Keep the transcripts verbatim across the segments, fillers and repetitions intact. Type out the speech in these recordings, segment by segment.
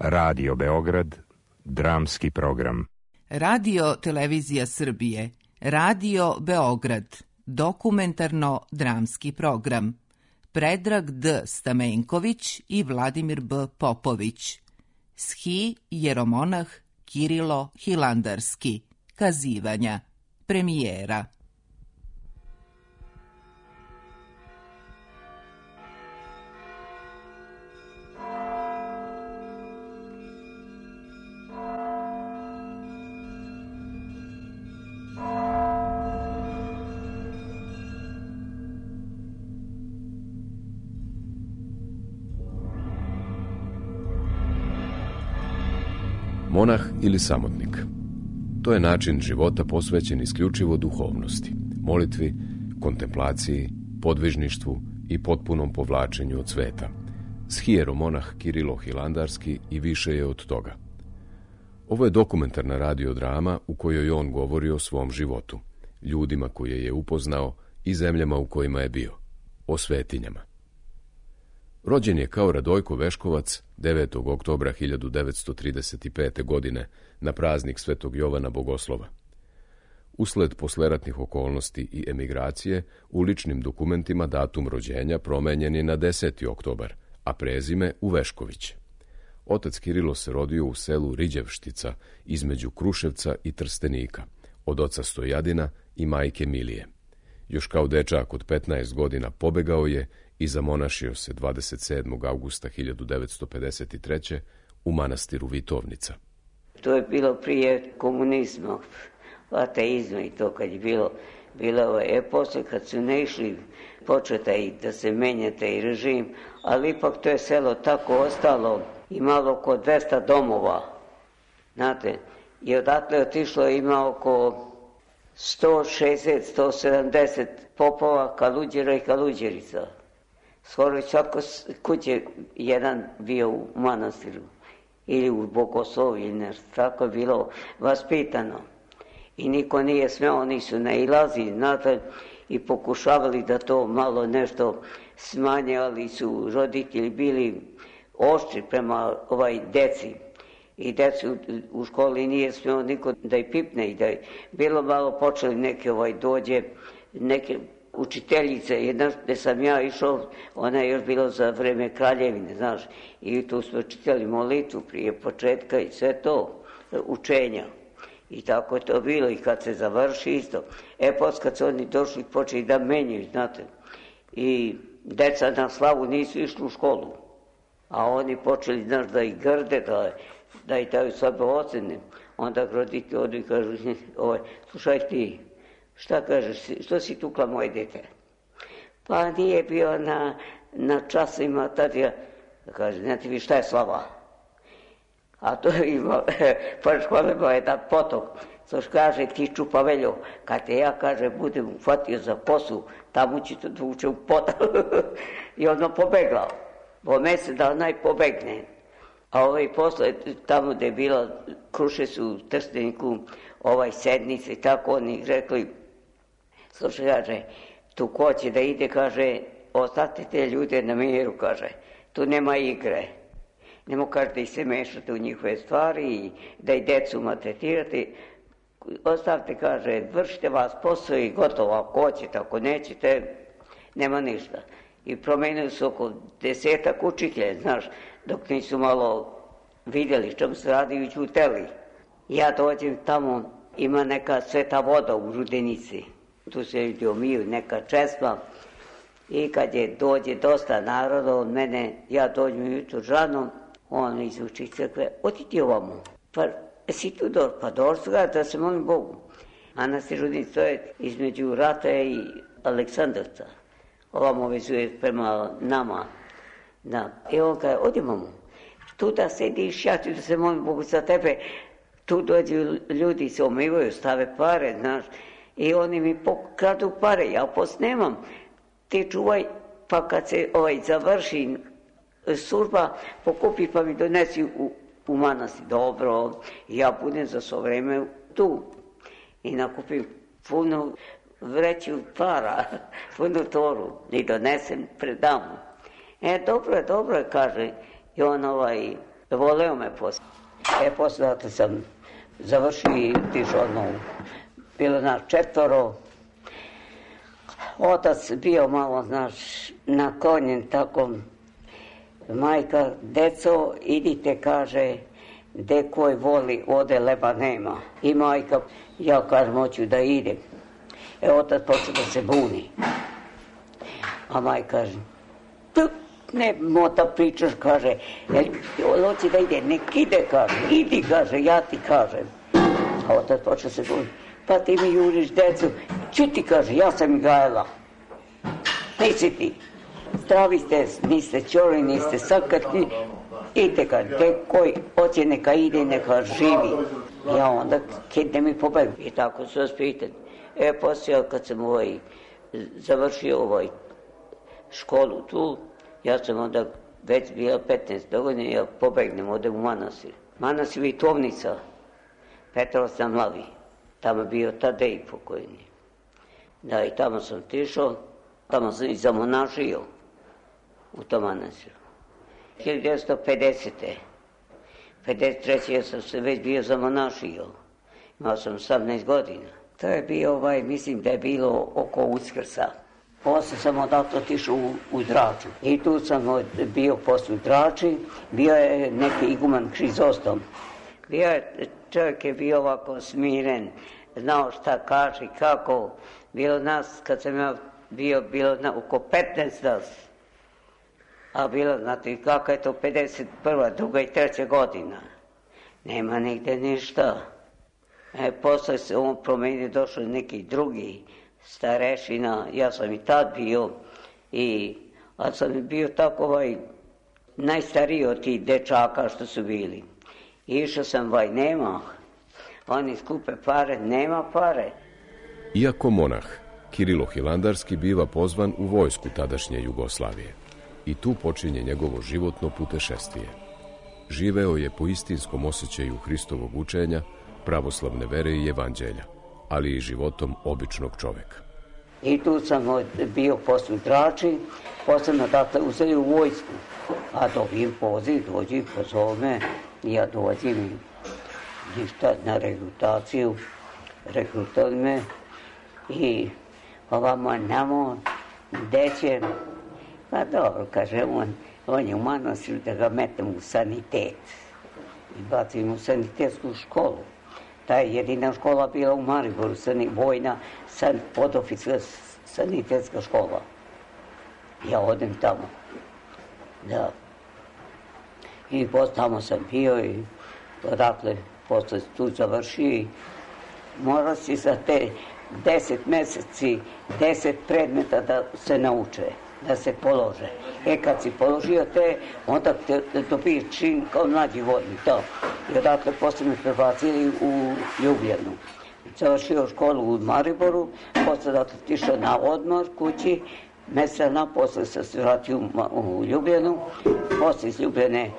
Radio Beograd, dramski program. Radio Televizija Srbije, Radio Beograd, dokumentarno-dramski program. Predrag D. Stamenković i Vladimir B. Popović. Schi jeromonah Kirilo Hilandarski. Kazivanja. Premijera. Monah ili samotnik. To je način života posvećen isključivo duhovnosti, molitvi, kontemplaciji, podvižništvu i potpunom povlačenju od sveta. Schijeromonah Kirilo Hilandarski i više je od toga. Ovo je dokumentarna radiodrama u kojoj on govori o svom životu, ljudima koje je upoznao i zemljama u kojima je bio, o svetinjama. Rođen je kao Radojko Veškovac devetog oktobra hiljadu devetsto trideset pete. godine na praznik Svetog Jovana Bogoslova. Usled posleratnih okolnosti i emigracije, u ličnim dokumentima datum rođenja promenjen je na deseti oktobar, a prezime u Vešković. Otac Kirilo se rodio u selu Riđevštica između Kruševca i Trstenika, od oca Stojadina i majke Milije. Još kao dečak od petnaest godina pobegao je i zamonašio se dvadeset sedmog avgusta hiljadu devetsto pedeset treće. u manastiru Vitovnica. To je bilo prije komunizma, ateizma i to kad je bilo, bilo je posle kad su ne išli početa i da se menja taj režim, ali ipak to je selo tako ostalo, imalo oko dvesta domova, znate, i odatle otišlo ima oko sto šezdeset do sto sedamdeset popova, kaluđera i kaluđerica. Skoro svako kuće jedan bio u manastiru ili u Bogoslovi ili nešto, tako je bilo vaspitano. I niko nije smeo, oni su nailazili, znate, i pokušavali da to malo nešto smanje, ali su roditelji bili oštri prema ovaj deci. I decu u školi nije smeo niko da je pipne i da je bilo malo počeli neke ovaj dođe, neke učiteljice, jedna gde sam ja išao, ona je još bilo za vreme kraljevine, znaš, i tu smo čitali molitvu prije početka i sve to, učenja. I tako je to bilo i kad se završi isto. E, posle kad su oni došli, počeli da menjaju, znate, i deca na slavu nisu išli u školu, a oni počeli, znaš, da ih grde, da, da ih daju slabe ocene. Onda roditelji odu i kažu, ovaj, slušaj ti, šta kažeš, što si tukla moje dete? Pa nije bio na, na časima, tad ja, kaže, znate vi šta je slava? A to je imao, pored škole imao jedan potok, což kaže, ti čupaveljo, kad te ja, kaže, budem uhvatio za posu, tamo ću to dvuče u potok. I ono pobegla, bo mesec da onaj pobegne. A ovaj posle, tamo gde je bila, Kruše su u Trsteniku, ovaj sednice i tako, oni rekli, slušaj, kaže, tu ko će da ide, kaže, ostavite te ljude na miru, kaže, tu nema igre. Nemo, kaže, da ih se mešate u njihove stvari i da i decu maltretirate. Ostavite, kaže, vršite vas posao i gotovo, ako hoćete, ako nećete, nema ništa. I promenili su oko desetak učitelja, znaš, dok nisu malo vidjeli čemu se radi i ćuteli. Ja dođem tamo, ima neka sveta voda u Rudenici. Tu se ljudi omiju, neka česma. I kad je dođe dosta naroda od mene, ja dođem jutro žanom, on izuči crkve, oti ti ovamo. Pa, si tu došli? Pa došli ga da se molim Bogu. Manastir Rudenici, to je između Rata i Aleksandrovca. Ovamo vezuje prema nama. Da. I on kaže, odimamo. Tu da sediš, ja ću da se molim Bogu za tebe. Tu dođu ljudi, se omivaju, stave pare, znaš. I oni mi pokradu pare, ja posle nemam. Ti čuvaj, pa kad se ovaj završi služba, pokupi pa mi donesi u, u manastir. Dobro, ja budem za svo vreme tu. I nakupim puno vreću para, punu toru i donesem, predam. E, dobro je, dobro je, kaže. I on ovaj, Voleo me posle. E, posle dakle sam završio i tišao ono, bilo nas četvoro. Otac bio malo, znaš, naklonjen tako. Majka, deco, idite, kaže, de koji voli, ode leba nema. I majka, ja kažem, hoću da idem. E, otac počeo da se buni. A majka kaže, ne mota pričaš, kaže, hoće da ide, nek ide, kaže, idi, kaže, ja ti kažem. A otac počeo se buni. Pa ti mi juriš decu, čuti, kaže, ja sam gajala. Nisi ti. Zdravi ste, niste čori, niste sakrtni. Idite, kaže, te koji hoće neka ide, neka živi. Ja onda kidne mi pobegu. I tako su vas pitali. E, poslije, kad sam ovaj, završio ovaj školu tu, ja sam onda već bila petnaest godine, ja pobegnem ovde u manastir. Manastir Vitovnica, Petrovac na Mlavi. Tamo je bio Tadej pokojni. Da, i tamo sam tišao, tamo sam i zamonašio u tom manastiru. hiljadu devetsto pedesete. pedeset treće. ja sam se već bio zamonašio. Imao sam osamnaest godina. To je bio, ovaj, mislim da je bilo oko Uskrsa. Posle sam odatle otišao u, u Draču. I tu sam bio posle u Drači. Bio je neki iguman Krizostom. Bio je, čovjek je bio ovako smiren, znao šta kaže, kako. Bilo nas, kad sam ja bio, bilo na, oko petnaest nas. A bilo, znate, kako je to pedeset prva, druga i treća godina. Nema nigde ništa. E, posle se on promenio, došao neki drugi starešina, ja sam i tad bio, i, a sam bio tako ovaj, najstariji od tih dečaka što su bili. I išao sam, vaj, nema, oni skupe pare, nema pare. Iako monah, Kirilo Hilandarski biva pozvan u vojsku tadašnje Jugoslavije. I tu počinje njegovo životno putešestvije. Živeo je po istinskom osjećaju Hristovog učenja, pravoslavne vere i evanđelja, ali i životom običnog čoveka. I tu sam bio posle u Drači, posle me dakle uzeli u vojsku, a dobijem poziv, dođi, pozove me, ja dođem na rekrutaciju, rekrutovali me i ovamo namo, gde će, pa dobro, kaže on, on je u manastiru da ga metem u sanitet i bacim u sanitetsku školu. Ta je jedina škola bila u Mariboru, vojna san, podoficirska sanitetska škola. Ja odem tamo. Da. I posle tamo sam bio i odakle posle tu završio i mora si za te deset meseci, deset predmeta da se nauče, da se polože. E kad si položio te, onda te dobiješ čin kao mlađi vojnik, to. I odakle posle me prebacili u Ljubljanu. Završio školu u Mariboru, posle dakle tišao na odmor kući, mesec dana posle sam se vratio u Ljubljanu, posle iz Ljubljane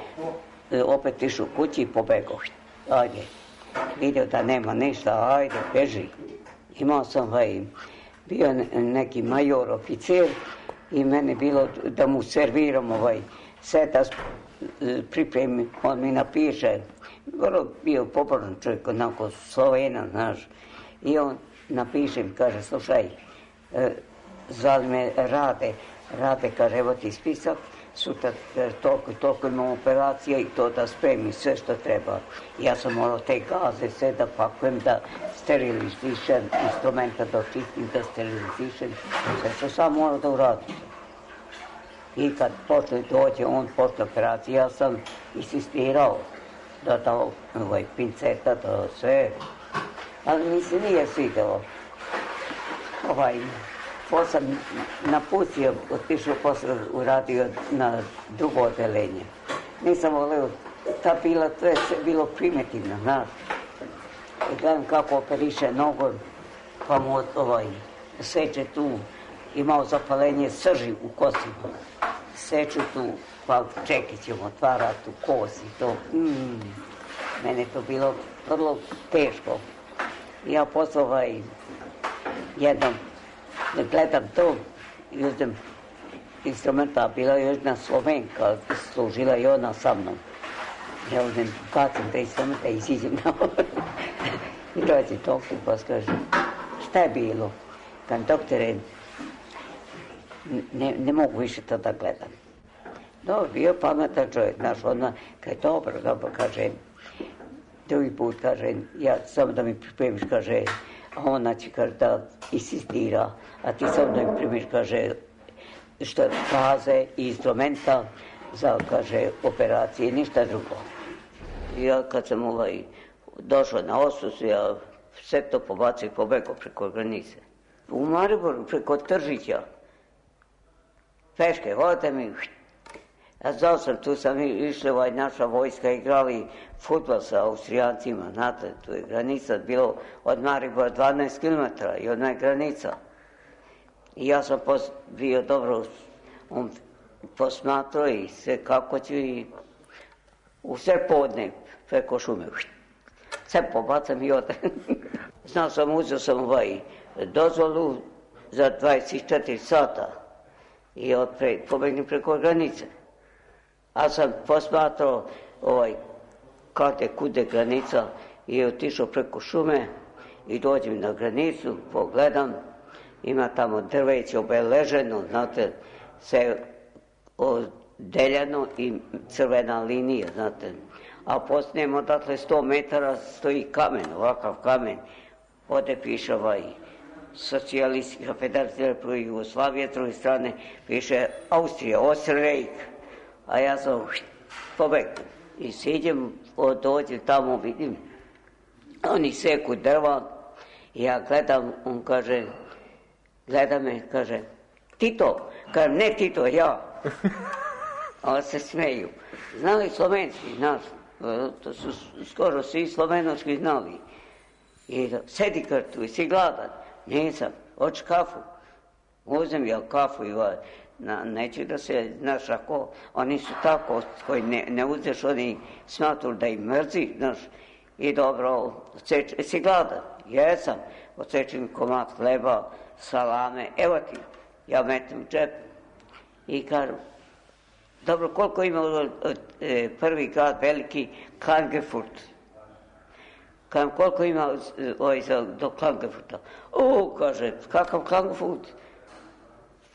opet išao kući i pobegao. Ajde, vidio da nema ništa, ajde, beži. Imao sam, ovaj, bio neki major oficir i mene bilo da mu serviram ovaj setas, pripremi, on mi napiše, vrlo bio pobožan čovjek, onako Slovena, znaš, i on napiše mi, kaže, slušaj, zvali me Rade, Rade, kaže, evo ti spisak, sutra toliko i toliko imam operacija i to da spremi sve što treba. Ja sam morao te gaze sve da pakujem, da sterilizišem, instrumenta da očistim, da sterilizišem, sve što sam morao da uradim. I kad počne dođe on posle operacije, ja sam insistirao da dao ovaj, pinceta, da sve, ali mi se nije svidelo. Ovaj, posle sam napustio, otišao posle uradio na drugo odelenje. Nisam voleo, ta bila, to je sve bilo primitivno, znaš. I gledam kako operiše nogu, pa mu ovaj, seče tu, imao zapalenje srži u kostima. Seču tu, pa čekićem otvara tu kost i to. Mm, mene to bilo vrlo teško. Ja posle ovaj, jednom gledam to i uzem instrumenta, bila je jedna Slovenka, služila i ona sa mnom. Ja uzem kacem da isam da iziđem na ovo. I dođe doktor pa kaže, šta je bilo? Kad doktore, ne, ne mogu više to da gledam. Dobro, bio pametan čovjek, znaš, ona, kaže, dobro, dobro, kaže, drugi put, kaže, ja, samo da mi pripremiš, kaže, a ona će, kaže, da insistira, a ti samo da mi pripremiš, kaže, što faze i instrumenta za, kaže, operacije, ništa drugo. I ja, kad sam ovaj, došao na Osus, ja sve to pobacio i pobegao preko granice. U Mariboru, preko Tržića, peške, vodite mi, ja znao sam, tu sam išli, ovaj, naša vojska, igrali fudbal sa Austrijancima, znate, tu je granica, bilo od Maribora dvanaest kilometara i odna je granica. I ja sam pos, bio dobro, on posmatrao i sve kako ću i u sve podne, preko šume, sve pobacam i odem. Znao sam, uzeo sam ovaj dozvolu za dvadeset četiri sata i odpre, pobegnem preko granice. A sam posmatrao ovaj, kade, kude granica i otišao preko šume i dođem na granicu, pogledam, ima tamo drveće obeleženo, znate, sve odeljeno i crvena linija, znate. A poslije odatle sto metara stoji kamen, ovakav kamen, ovdje piše ovaj Socijalistička federacija Republike Jugoslavije, s druge strane piše Austrija, Osterreich. A ja sam pobegao i siđem, dođem tamo, vidim, oni seku drva i ja gledam, on kaže, gleda me, kaže, Tito, kažem, ne Tito, ja. A on se smeju. Znali slovenski, znaš, to su skoro svi slovenočki znali. I da, sedi kar tu i si gladan. Nisam, hoću kafu. Uzem ja kafu i ovaj, na, neću da se, znaš, ako oni su tako, koji ne, ne uzeš, oni smatru da im mrzi, znaš, i dobro, oceč, si gladan? Jesam, odsečem komad hleba, salame, evo ti, ja metem u džep i kažem, dobro, koliko ima e, prvi grad, veliki, Klagenfurt? Kažem, koliko ima ovaj, do Klagenfurta? O, kaže, kakav Klagenfurt?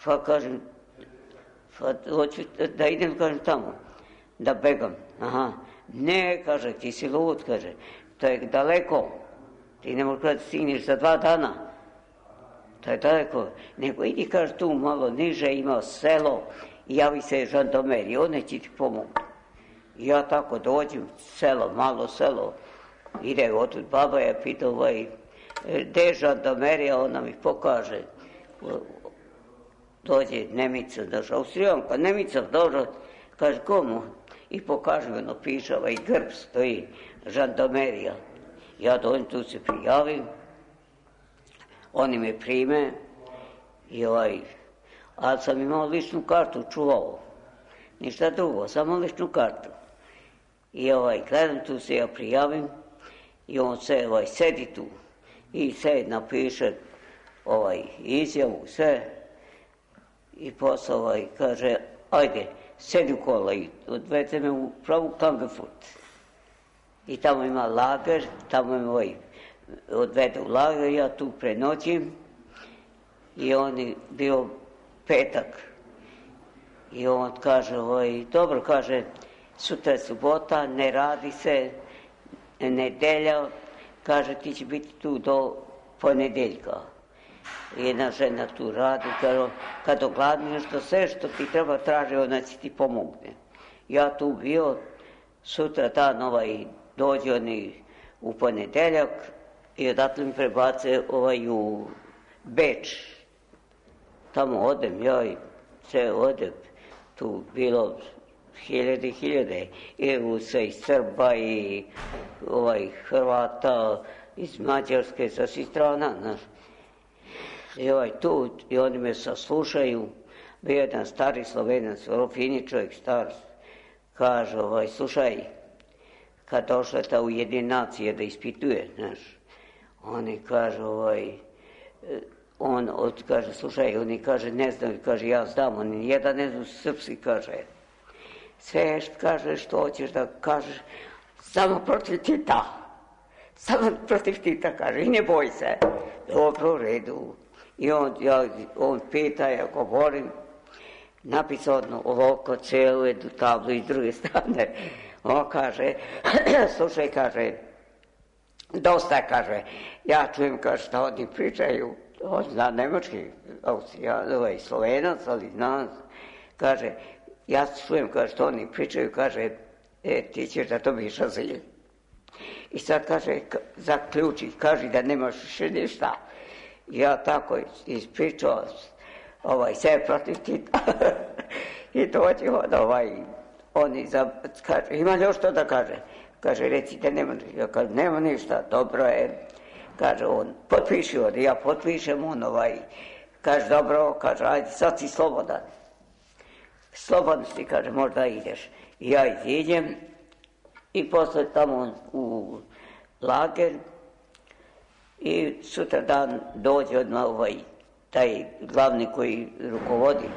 Pa kažem, pa hoću da idem, kažem, tamo, da begam. Aha, ne, kaže, ti si lud, kaže, to je daleko, ti ne možeš da stigneš za dva dana, to je daleko, nego idi, kaže, tu malo niže, ima selo, i javi se žandarmerija, one će ti pomogu. I ja tako dođem, selo, malo selo, ide otud baba, ja pita ovaj, gde je žandarmerija, ona mi pokaže, dođe Nemica, daš, Austrijanka, Nemica, dobro, kaže, komu? I pokaže mi, ono piše, ovaj grb stoji, žandarmerija. Ja dođem, tu se prijavim, oni me prime i ovaj, ali sam imao ličnu kartu, čuvao, ništa drugo, samo ličnu kartu. I ovaj, gledam, tu se ja prijavim i on se, ovaj, sedi tu i se napiše ovaj, izjavu, sve. I posle ovaj, kaže, ajde, sedi u kola i odvede me u pravu Klagenfurt. I tamo ima lager, tamo me ovaj, odvede u lager, ja tu prenoćim i on je bio petak. I on kaže, ovaj, dobro, kaže, sutra je subota, ne radi se, nedelja, kaže, ti će biti tu do ponedeljka. Jedna žena tu radi, kaže, kad ogladni nešto, sve što ti treba traži, ona će ti pomogne. Ja tu bio, sutra dan ovaj, dođe oni u ponedeljak i odatle mi prebace ovaj, u Beč. Tamo odem, ja i sve odem, tu bilo hiljade i hiljade, i Rusa, i Srba, i ovaj, Hrvata, iz Mađarske, sa svih strana, znaš. I ovaj tu, i oni me saslušaju, bio jedan stari Slovenac, vrlo fini čovjek, star, kaže, ovaj, slušaj, kad došla ta Ujedinjene nacije da ispituje, znaš, oni kaže, ovaj, on od, kaže, slušaj, oni kaže, ne znam, kaže, ja znam, oni jedan ne znam srpski, kaže, sve što kažeš, što hoćeš da kažeš, samo protiv Tita. Samo protiv Tita kaže, i ne boj se. Dobro, u redu. I on, ja, on pita, ja govorim, napisao odno ovako celu jednu tablu i s druge strane. On kaže, slušaj, kaže, dosta, kaže, ja čujem, kaže, šta oni pričaju, on zna nemački, Austrijan, ovaj, Slovenac, ali zna, kaže, ja čujem, kaže, što oni pričaju, kaže, e, ti ćeš da dobiš azil. I sad, kaže, zaključi, kaže da nemaš više ništa. Ja tako ispričao, ovaj, sve protiv Tita. I dođe on, ovaj, oni, za, kaže, ima li još što da kaže? Kaže, recite, nema, ja kažem, nema ništa, dobro je. Kaže on, potpiši on, ja potpišem on, ovaj, kaže, dobro, kaže, ajde, sad si slobodan. Slobodno si, kaže, možda ideš. I ja iziđem i posle tamo u lager i sutra dan dođe odmah ovaj, taj glavni koji rukovodi.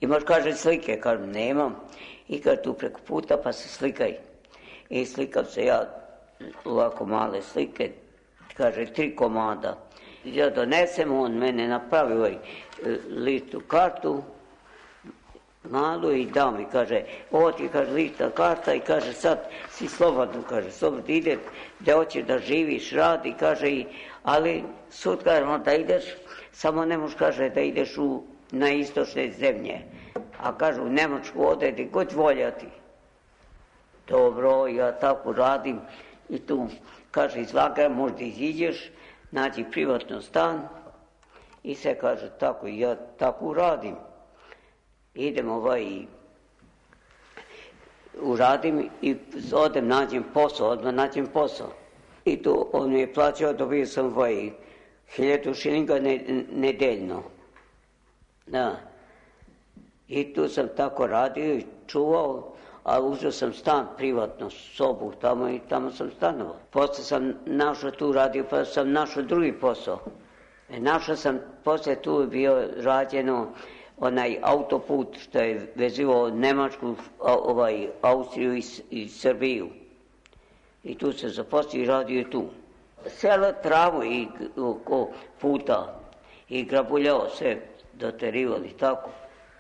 Imaš, kaže, slike, kažem, nemam. I kaže, tu preko puta, pa se slikaj. I slikam se ja, ovako male slike, kaže, tri komada. Ja donesem, on mene napravi ovaj listu kartu, malu i dao mi, kaže, ovo ti, kaže, lista karta i kaže, sad si slobodno, kaže, slobodno ide, gde hoćeš da živiš, radi, kaže, i, ali sud, kaže, da ideš, samo ne možeš, kaže, da ideš u, na istočne zemlje, a kaže, u Nemačku ode, gde god voljati. Dobro, ja tako radim i tu, kaže, iz lagera možda iziđeš, nađi privatno stan i se kaže, tako, ja tako radim. Idem ovaj, uradim i odem, nađem posao, odmah nađem posao. I tu on mi je plaćao, dobio sam ovaj, hiljadu šilinga ne, nedeljno. Da. I tu sam tako radio i čuvao, a uzeo sam stan privatno, sobu tamo i tamo sam stanovao. Posle sam našao tu radio, pa sam našao drugi posao. E, našao sam, posle tu je bio rađeno onaj autoput što je vezivao Nemačku, ovaj, Austriju i, i Srbiju. I tu se zaposlio i radio tu. Sela travu i oko puta i grabuljao se, doterivali tako.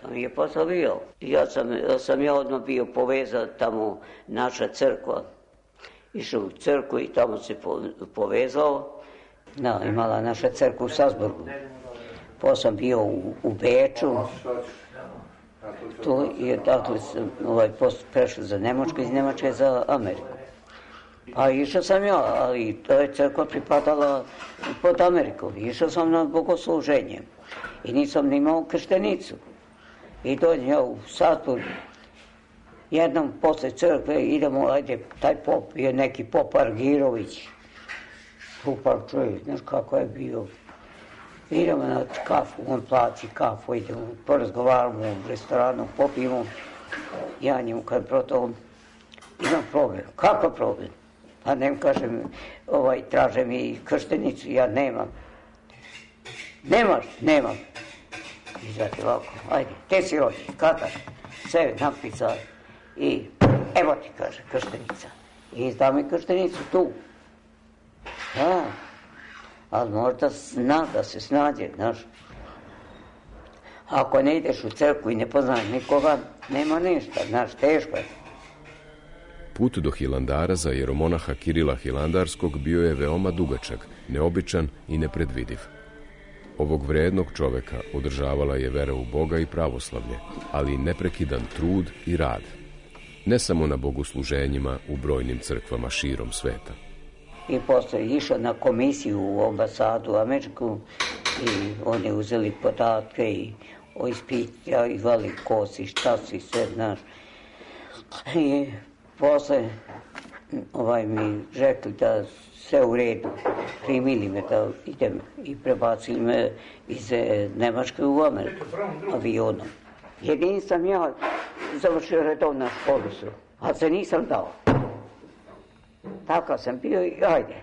Tamo je posao bio. Ja sam, sam ja odmah bio povezan tamo naša crkva. Išao u crkvu i tamo se po, povezao. Da, imala naša crkva u Salzburgu. Pa sam bio u, u Beču. Tu je dakle sam ovaj, prešao za Nemačku, iz Nemačke za Ameriku. A išao sam ja, ali to je crkva pripadala pod Ameriku. Išao sam na bogosluženje i nisam ni imao krštenicu. I dođem ja u Salzburg, jednom posle crkve idemo, ajde, taj pop je neki pop Argirović. Super čovjek, znaš kako je bio. Idemo na kafu, on plaći kafu, idemo, porazgovaramo u restoranu, popijemo. Ja njemu kad proto, imam problem. Kakav problem? Pa nem kažem, ovaj, traže mi krštenicu, ja nemam. Nemaš? Nemam. I zato ovako, ajde, te si rođen, kada? Sve napisao i evo ti, kaže, krštenica. I izdao mi krštenicu tu. Da, ali možda zna da se snađe, znaš. Ako ne ideš u crkvu i ne poznaš nikoga, nema ništa, znaš, teško je. Put do Hilandara za jeromonaha Kirila Hilandarskog bio je veoma dugačak, neobičan i nepredvidiv. Ovog vrednog čoveka održavala je vera u Boga i pravoslavlje, ali i neprekidan trud i rad. Ne samo na bogosluženjima u brojnim crkvama širom sveta. I posle išao na komisiju u ambasadu američku i oni uzeli podatke i ispitivali ko si, šta si, sve, znaš. I posle ovaj, mi rekli da sve u redu, primili me da idem i prebacili me iz Nemačke u Ameriku avionom. Jedini sam ja završio redovnu školu, ali se nisam dao. Takav sam bio i ajde.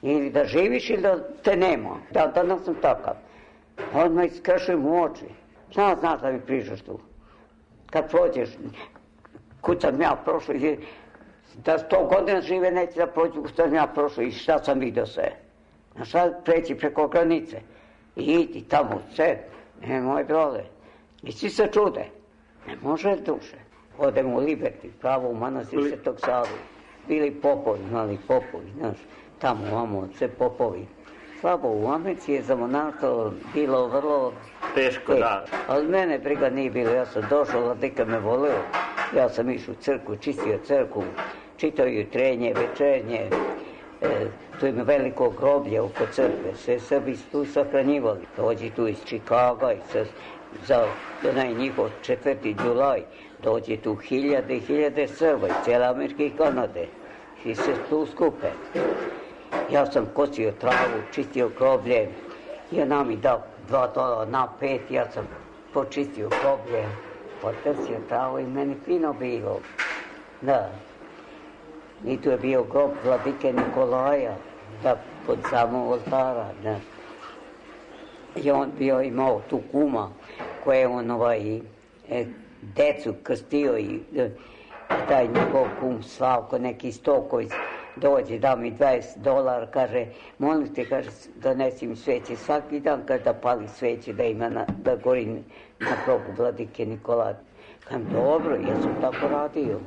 Ili da živiš ili da te nema. Da, danas sam takav. Odmah iskrešujem u oči. Šta znaš da mi pričaš tu? kad prođeš, kud sam ja prošao, da sto godina žive neće da prođu kud sam ja prošao i šta sam vidio sve. A šta preći preko granice i idi tamo sve, ne moj brole. I svi se čude, ne može duše. Odemo u Liberty, pravo u manastir Svetog Savu. Bili popovi, mali popovi, znaš, tamo, vamo, sve popovi. Slabo, u Americi je za monaštvo bilo vrlo teško, da. Ali mene briga nije bilo, ja sam došao, vladika me voleo, ja sam išao u crkvu, čistio crkvu, čitao jutrenje, večernje, e, tu ima veliko groblje oko crkve, sve Srbi su tu sahranjivali, dođi tu iz Čikaga i sa, za onaj njihov četvrti julaj, dođe tu hiljade i hiljade Srba iz cijele Amerike i Kanade i se tu skupe. Ja sam kosio travu, čistio groblje i ona mi dao dva dolara na pet, ja sam počistio groblje, potrsio travu i meni fino bilo. Da. I tu je bio grob vladike Nikolaja, da, pod samog oltara, da. I on bio imao tu kuma koje on ovaj, e, decu krstio i e, taj njegov kum Slavko, neki Stoković, dođe, da mi dvadeset dolara, kaže, molim te, kaže, donesi mi sveće svaki dan, kaže, da pali sveće, da ima, na, da gori na grobu vladike Nikolaja. Kažem, dobro, ja sam tako radio,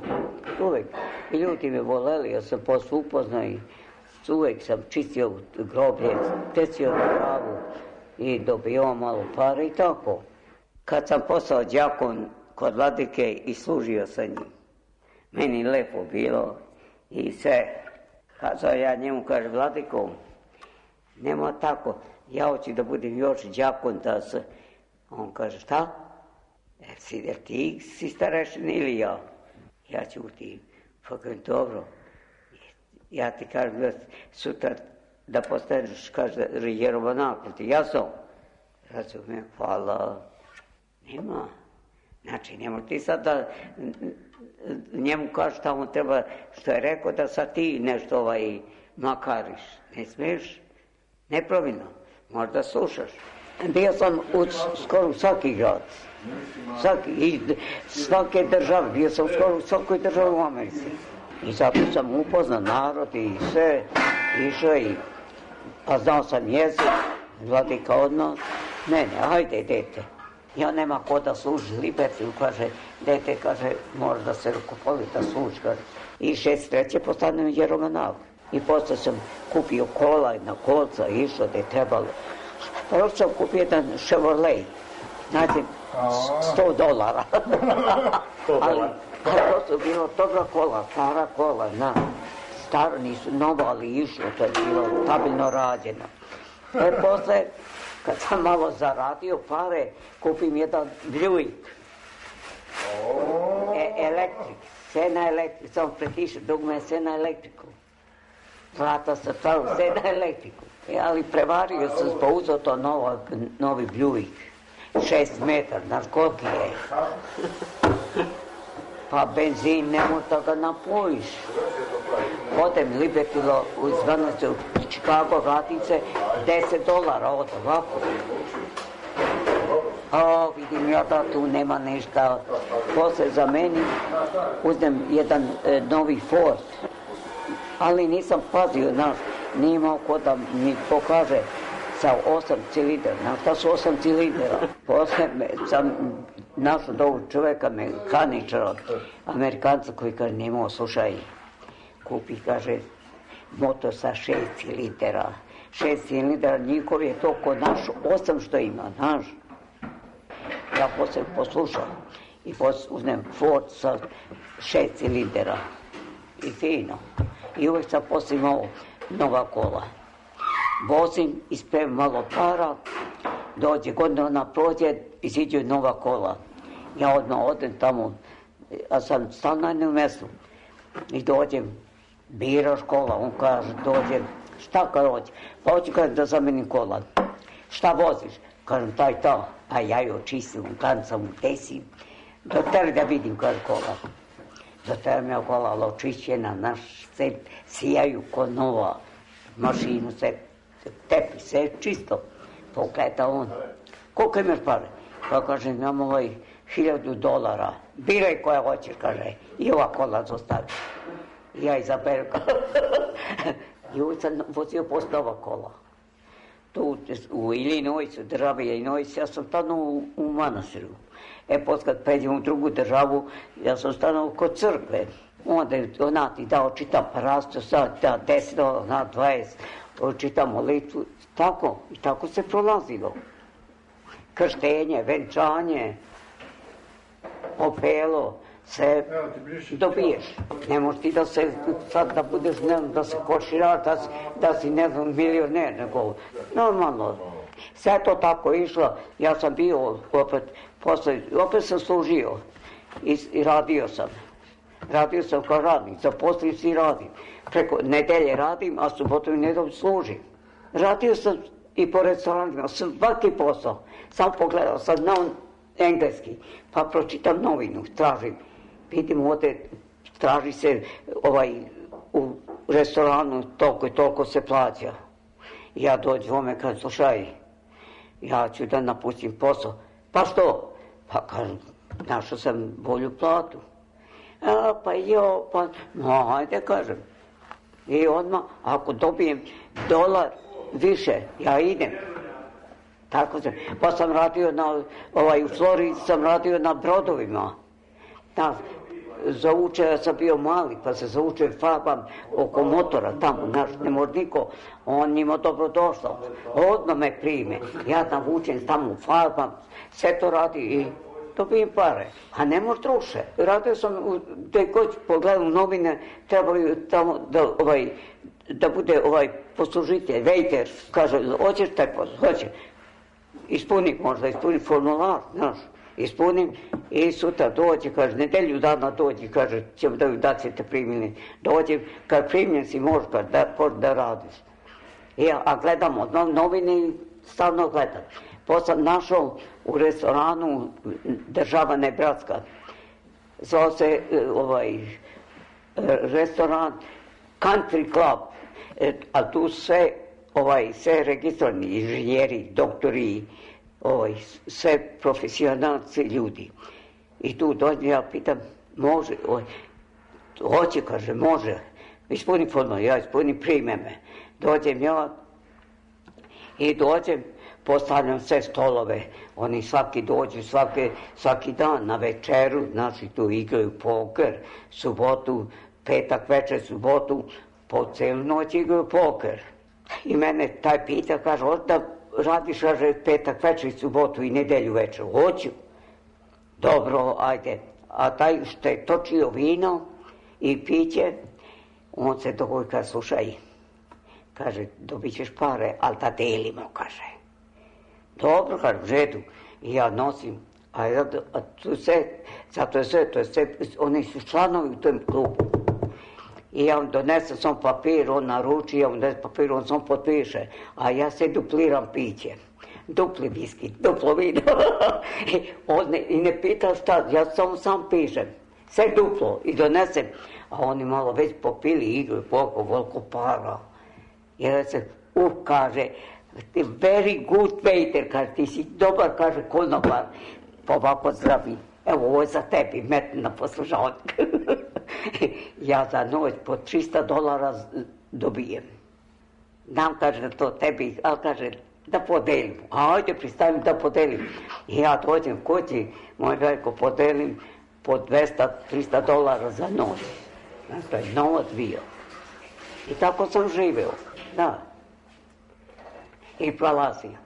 uvek. I ljudi me voleli, ja sam posle upoznao i uvek sam čistio groblje, tecio travu i dobio malo para i tako. Kad sam postao đakon kod vladike i služio sa njim, meni lepo bilo i sve. Kazao ja njemu, kaže, vladiko, nema tako, ja hoću da budem još đakon da se... On kaže, šta? E, si, jer ti si starešin ili ja? Ja ćutim. Pa kažem, dobro. Ja ti kažem da sutra da postaneš, kaže, jeromonak, ti jasno? Razumijem, hvala. Nema. Znači, nemoj ti sad da njemu kažeš šta mu treba, što je rekao, da sad ti nešto ovaj makariš. Ne smiješ? Nepravilno. Možda slušaš. Bio sam u skoro svaki grad. Svaki, i svake države. Bio sam skoro u svakoj državi u Americi. I zato sam upoznao narod i sve. Išao i... A znao sam jezik. Vladika odmah. Ne, ne, hajde, dete. Ja nema ko da služi Liberty, kaže, dete, kaže, može da se rukopoli da služi, kaže. I šest treće postanem jeromonak. I posle sam kupio kola na kolca, išao da je trebalo. Prvo sam kupio jedan Chevrolet, znači, sto dolara. ali, ali to su bilo dobra kola, stara kola, na. Staro nisu novo, ali išlo, to je bilo stabilno rađeno. E, posle, kad sam malo zaradio pare, kupim jedan Buick. E, elektrik, sve na elektriku, samo pretiše, dugme je sve na elektriku. Vrata se pravi, sve na elektriku. E, ali prevario sam, pa uzeo to novo, novi Buick. Šest metar, znaš koliki je. Pa benzin, nemoj da ga napojiš. Odem Libertilo u zvanicu u Chicago, vratim se, deset dolara od ovako. O, vidim ja da tu nema ništa. Posle za meni uzmem jedan e, novi Ford. Ali nisam pazio, znaš, nije imao ko da mi pokaže sa osam cilindera. Znaš šta su osam cilindera? Posle sam našao do ovog čoveka, mehaničara, Amerikanca koji kaže, nemao, slušaj, kupi, kaže, motor sa šest cilindera. Šest cilindera, njihov je to kod naš osam što ima, znaš. Ja posle poslušam i posle uzmem Ford sa šest cilindera. I fino. I uvek sam posle imao nova kola. Vozim, ispremim malo para, dođe godina, ona prođe, iziđe nova kola. Ja odmah odem tamo, a sam stal na jednom mjestu. I dođem, biraš kola, on kaže, dođem, šta kad hoće? Pa hoću kaže da zamenim kola. Šta voziš? Kažem, taj to. Pa ja ju očistim, kancam, desim. Do tere da vidim kaže kola. Do tere mi je kola, ali očišćena, naš se sijaju ko nova. Mašinu se tepi, sve čisto. Pogleda on. Koliko imaš pare? Pa kažem, imam ovaj hiljadu dolara. Biraj koja hoćeš, kaže. I ova kola zostavi. I ja izaberu. I uvijek sam vozio posle ova kola. Tu u Ilinojcu, državi Ilinojcu, ja sam stano u, u Manastiru. E, poslije kad pređem u drugu državu, ja sam stano kod crkve. Onda je ona ti dao, čitam parastu, sad da deset, na dvadeset, čitam molitvu. Tako, i tako se prolazilo. Krštenje, venčanje, opelo, sve dobiješ. Ne možeš ti da se, sad da budeš, ne znam, da se koširaš, da si, da si, ne znam, milioner, nego normalno. Sve to tako išlo, ja sam bio opet, posle, opet sam služio i, i radio sam. Radio sam kao radnik, zaposlim se i radim. Preko nedelje radim, a subotom i nedeljom služim. Radio sam i po restoranima, svaki posao. Sam pogledao sam na engleski, pa pročitam novinu, tražim. Vidim ovdje, traži se ovaj, u restoranu, toliko i toliko se plaća. Ja dođem ome, kažem, slušaj, ja ću da napustim posao. Pa što? Pa kažem, našao sam bolju platu. A, pa jo, pa, no, hajde, kažem. I odmah, ako dobijem dolar više, ja idem. Tako sam. Pa sam radio na, ovaj, u Floridi sam radio na brodovima. Da, zaučio, ja sam bio mali, pa se zaučio farbam oko motora tamo, naš, ne može niko, on njima dobro došao. Odmah me prime, ja navučem tamo farbam, sve to radi i dobijem pare, a ne može truše. Radio sam, gdje god pogledam novine, trebaju tamo da, ovaj, da bude ovaj poslužitelj, waiter, kaže, hoćeš taj posao, hoće. Ispunim možda, ispunim formular, znaš, ispunim i sutra dođe, kaže, nedelju dana dođe, kaže, ćemo da, da ćete primili. Dođe, kad primljen si, možeš da, da radiš. I, a gledamo novine i stalno gledam. Posle sam našao u restoranu država Nebraska. Zvao se ovaj restoran Country Club, a tu sve, ovaj, sve registrovani inženjeri, doktori, ovaj, sve profesionalci ljudi. I tu dođem, ja pitam, može, ovaj, hoće, kaže, može, ispuni formular, ja ispunim, prime me. Dođem ja i dođem, postavljam sve stolove, oni svaki dođu, svaki, svaki dan na večeru, znači tu igraju poker, subotu, petak večer, subotu, po celu noć igraju poker. I mene taj pita, kaže, hoće da radiš, kaže, petak večer i subotu i nedelju večer, hoću. Dobro, ajde. A taj što je točio vino i piće, on se dogovori, kaže, slušaj, kaže, dobit ćeš pare, ali da delimo, kaže. Dobro, kaže, u redu. I ja nosim, a, ja, a tu sve, zato je sve, to je sve, oni su članovi u tom klubu. I ja vam donesem sam papir, on naruči, ja vam donesem papir, on sam potpiše, a ja se dupliram piće. Dupli viski, duplo vino. ne, I ne pita šta, ja samo sam pišem. Sve duplo i donesem. A oni malo već popili igru, koliko, koliko para. I da se, uf, kaže, very good waiter, kaže, ti si dobar, kaže, konobar. Pa ovako zdravi, evo, ovo je za tebi, metni na poslušalnik. Ja za noć po trista dolara dobijem. Nam kaže da to tebi, ali kaže da podelim. A ajde pristavim da podelim. I ja dođem kući, moj veliko podelim po dvesta do trista dolara za noć. Znači, to je novac bio. I tako sam živeo, da. I prolazio.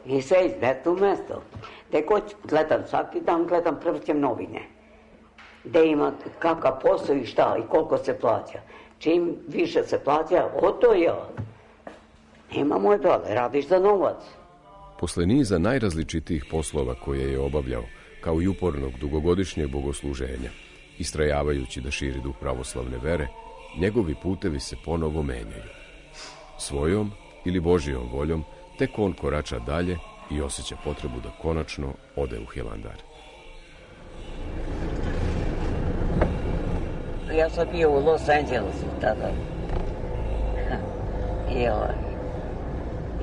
I sve iz mesta u mesto. Gde god gledam, svaki dan gledam, prevrćem novine. Gde ima kakav posao i šta i koliko se plaća. Čim više se plaća, o to ja. Nema moj brale, radiš za novac. Posle niza najrazličitijih poslova koje je obavljao, kao i upornog dugogodišnjeg bogosluženja, istrajavajući da širi duh pravoslavne vere, njegovi putevi se ponovo menjaju. Svojom ili Božijom voljom, tek on korača dalje i osjeća potrebu da konačno ode u Hilandar. Ja sam bio u Los Angelesu tada. I ovaj,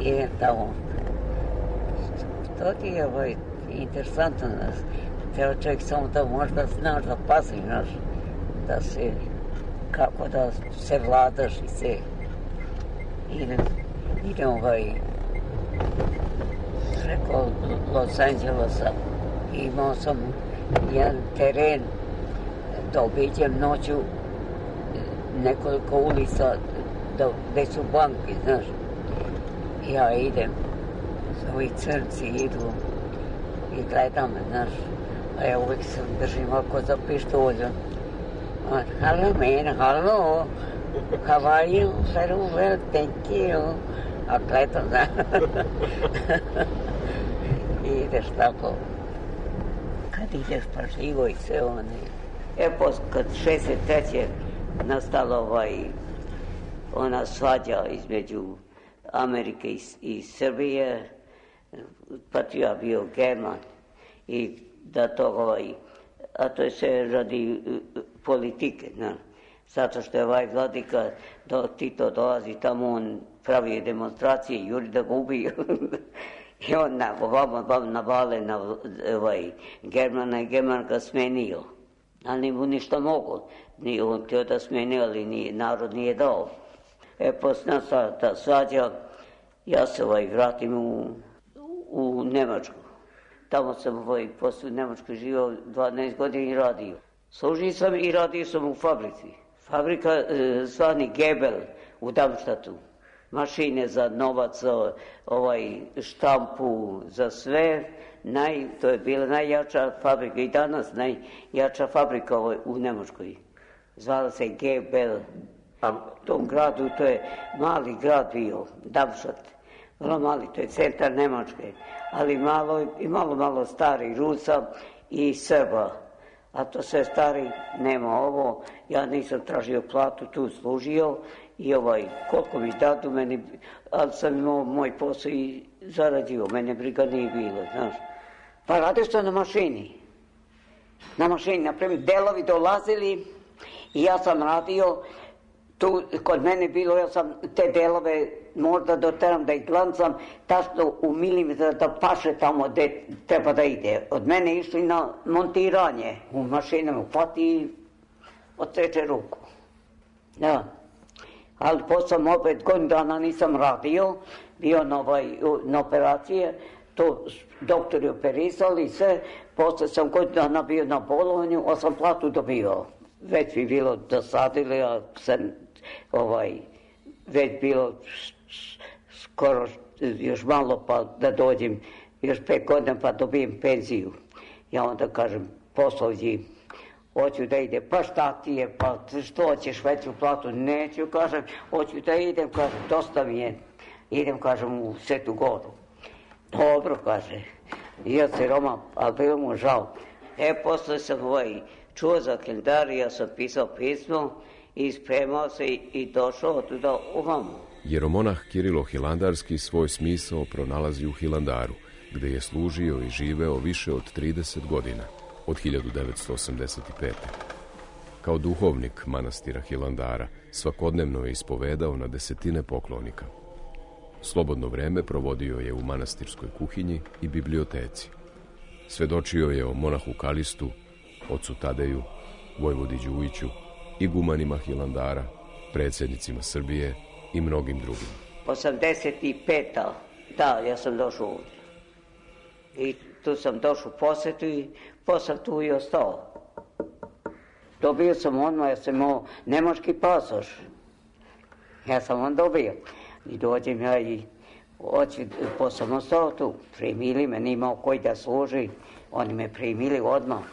idem tamo. To ti je ovaj, interesantno. treba čovjek samo da možda znaš da paziš, znaš, da se, kako da se vladaš i se idem, idem ovaj, preko Los Angelesa i imao sam jedan teren da obiđem noću nekoliko ulica da, gde su banke, znaš. Ja idem, ovi crnci idu i gledam me, znaš. A ja uvijek se držim ovako za pištolju. On, hello man, hello, how are you? Very well, thank you. A gledam, znaš. I ideš tako. Kad ideš pa živo i sve one. E, kad šezdeset treće nastala ovaj, ona svađa između Amerike i, i Srbije, patria bio German i da to ovaj, a to je sve radi uh, politike, ne? Zato što je ovaj vladika, do Tito dolazi tamo, on pravi demonstracije, juri da ga ubiju. I on na, vam navale na ovaj, Germana i German ga smenio. Ali nije mu ništa mogo. Nije on htio da smeni, ali nije, narod nije dao. E, posle ta svađa, ja se ovaj, vratim u, u Nemačku. Tamo sam ovaj, posle u Nemačkoj živio dvanaest godina i radio. Služio sam i radio sam u fabrici. Fabrika e, zvani Gebel u Darmstadtu. Mašine za novac, ovaj, štampu, za sve. Naj, to je bila najjača fabrika i danas najjača fabrika ovaj, u Nemačkoj. Zvala se Gebel. A u tom gradu, to je mali grad bio, Darmstadt. Vrlo mali, to je centar Nemačke. Ali malo, i malo, malo stari Rusa i Srba. A to sve stari, nema ovo. Ja nisam tražio platu, tu služio. I ovaj, koliko mi dadu meni, ali sam imao moj posao i zaradio, mene briga nije bilo, znaš. Pa radio sam na mašini. Na mašini, naprimjer, delovi dolazili i ja sam radio, tu kod mene bilo, ja sam te delove možda doteram da ih glancam, tačno u milimetra da paše tamo gde treba da ide. Od mene išli na montiranje u mašinama, hvati i odseče ruku. Da. Ali posle opet godinu dana nisam radio, bio na, ovaj, na operacije, to doktori operisali i sve, posle sam godinu dana bio na bolovanju, a sam platu dobio. Već bi bilo dosadili, a sam ovaj, već bilo skoro još malo pa da dođem, još pet godina pa dobijem penziju. Ja onda kažem poslovđi, hoću da ide, pa šta ti je, pa što hoćeš veću platu, neću, kažem, hoću da idem, kažem, dosta mi je, idem, kažem, u Svetu Goru. Dobro, kaže, i ja se Roma, ali bilo mu žao. E, posle sam ovaj, čuo za kalendar, ja sam pisao pismo i spremao se i, i došao otuda ovamo. Jeromonah Kirilo Hilandarski svoj smisao pronalazi u Hilandaru, gde je služio i živeo više od trideset godina, od hiljadu devetsto osamdeset pete. Kao duhovnik manastira Hilandara svakodnevno je ispovedao na desetine poklonika. Slobodno vreme provodio je u manastirskoj kuhinji i biblioteci. Svedočio je o monahu Kalistu, ocu Tadeju, vojvodi Đujiću, igumanima Hilandara, predsjednicima Srbije i mnogim drugim. osamdeset peta. Da, ja sam došao ovdje. I tu sam došao u posetu i posle tu i ostao. Dobio sam odmah, ja sam imao nemački pasoš. Ja sam on dobio. I dođem ja i hoću, posle sam ostao tu. Primili me, nimao koji da služi. Oni me primili odmah.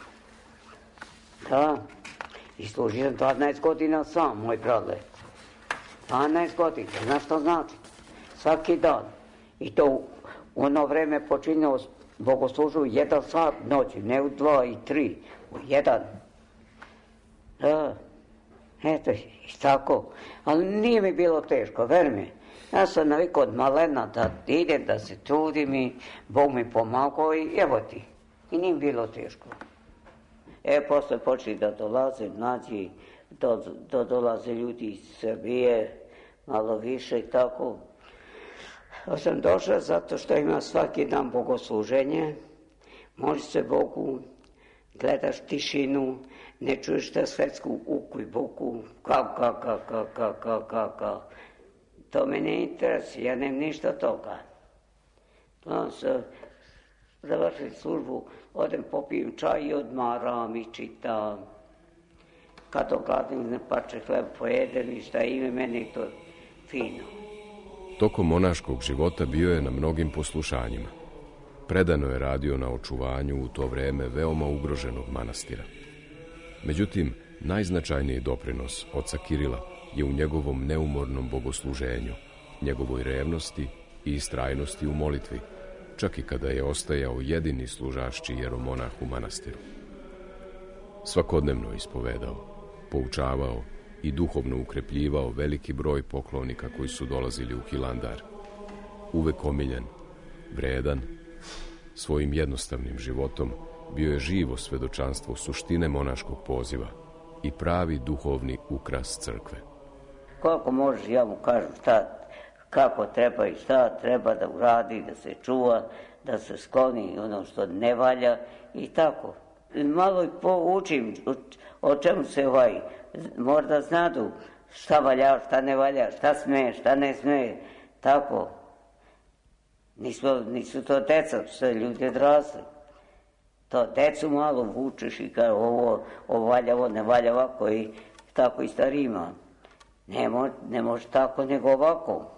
Da. I služio sam dvanaest godina sam, moj brale. dvanaest godina, znaš što znači? Svaki dan. I to u ono vreme počinjao bogoslužu u jedan sat noći, ne u dva i tri, u jedan. Da, eto, i tako. Ali nije mi bilo teško, ver mi. Ja sam navikao od malena da idem, da se trudim i Bog mi pomagao i evo ti. I nije mi bilo teško. E, posle počeli da dolaze mlađi, do, do dolaze ljudi iz Srbije, malo više i tako. Ja sam došla zato što ima svaki dan bogosluženje, može se Bogu, Gledaš tišinu, ne čuješ ta svetsku uku i buku, kao, kao, kao, kao, kao, kao, kao, kao. To me ne interesuje, ja nemam ništa od toga. Onda se završim službu, odem popijem čaj i odmaram i čitam. Kad ogladim, ne pače hleb pojedem i šta ime, meni je to fino. Tokom monaškog života bio je na mnogim poslušanjima. Predano je radio na očuvanju u to vreme veoma ugroženog manastira. Međutim, najznačajniji doprinos oca Kirila je u njegovom neumornom bogosluženju, njegovoj revnosti i istrajnosti u molitvi, čak i kada je ostajao jedini služašći jeromonah u manastiru. Svakodnevno ispovedao, poučavao i duhovno ukrepljivao veliki broj poklonika koji su dolazili u Hilandar. Uvek omiljen, vredan, svojim jednostavnim životom bio je živo svedočanstvo suštine monaškog poziva i pravi duhovni ukras crkve. Koliko možeš, ja mu kažem šta, kako treba i šta treba da uradi, da se čuva, da se skloni ono što ne valja i tako. Malo i poučim o, o čemu se ovaj, možda znadu šta valja, šta ne valja, šta sme, šta ne sme, tako. Nisu, nisu to deca, sve ljudi odrasli. To decu malo vučeš i kaže ovo, ovo valja, ovo ne valja ovako i tako i starima. Ne, mo, ne može tako nego ovako.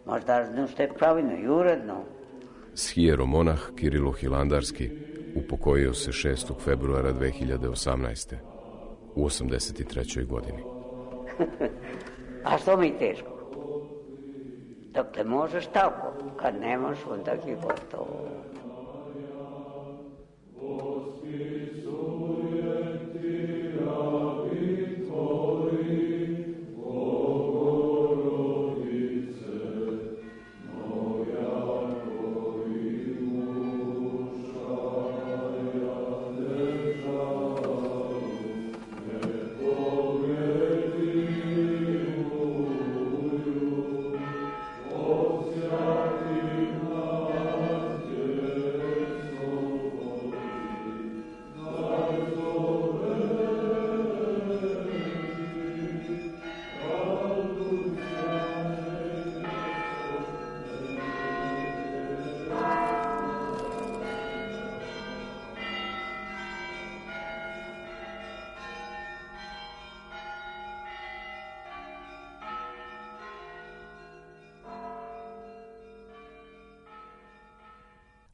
Možda znam što je pravilno i uredno. Shijeromonah Kirilo Hilandarski upokojio se šestog februara dve hiljade osamnaeste. u osamdeset trećoj godini. A što mi je teško? Dokle možeš tako, kad ne možeš, onda je gotovo.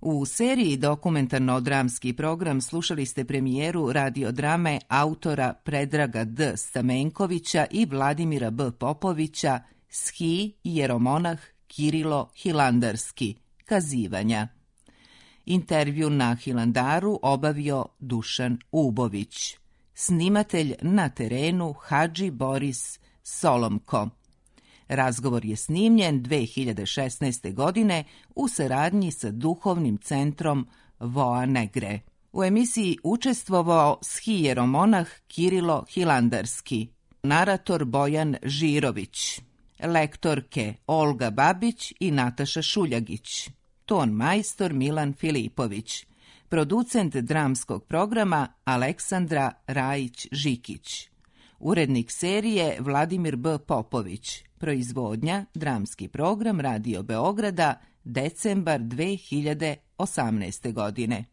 U seriji dokumentarno-dramski program slušali ste premijeru radiodrame autora Predraga D. Stamenkovića i Vladimira B. Popovića Shi jeromonah Kirilo Hilandarski, kazivanja. Intervju na Hilandaru obavio Dušan Ubović. Snimatelj na terenu Hadži Boris Solomko. Razgovor je snimljen dve hiljade šesnaeste. godine u saradnji sa duhovnim centrom Voa Negre. U emisiji učestvovao Shi jeromonah Kirilo Hilandarski, narator Bojan Žirović, lektorke Olga Babić i Nataša Šuljagić, ton majstor Milan Filipović, producent dramskog programa Aleksandra Rajić-Žikić, urednik serije Vladimir B. Popović, proizvodnja dramski program Radio Beograda, decembar dve hiljade osamnaeste. godine.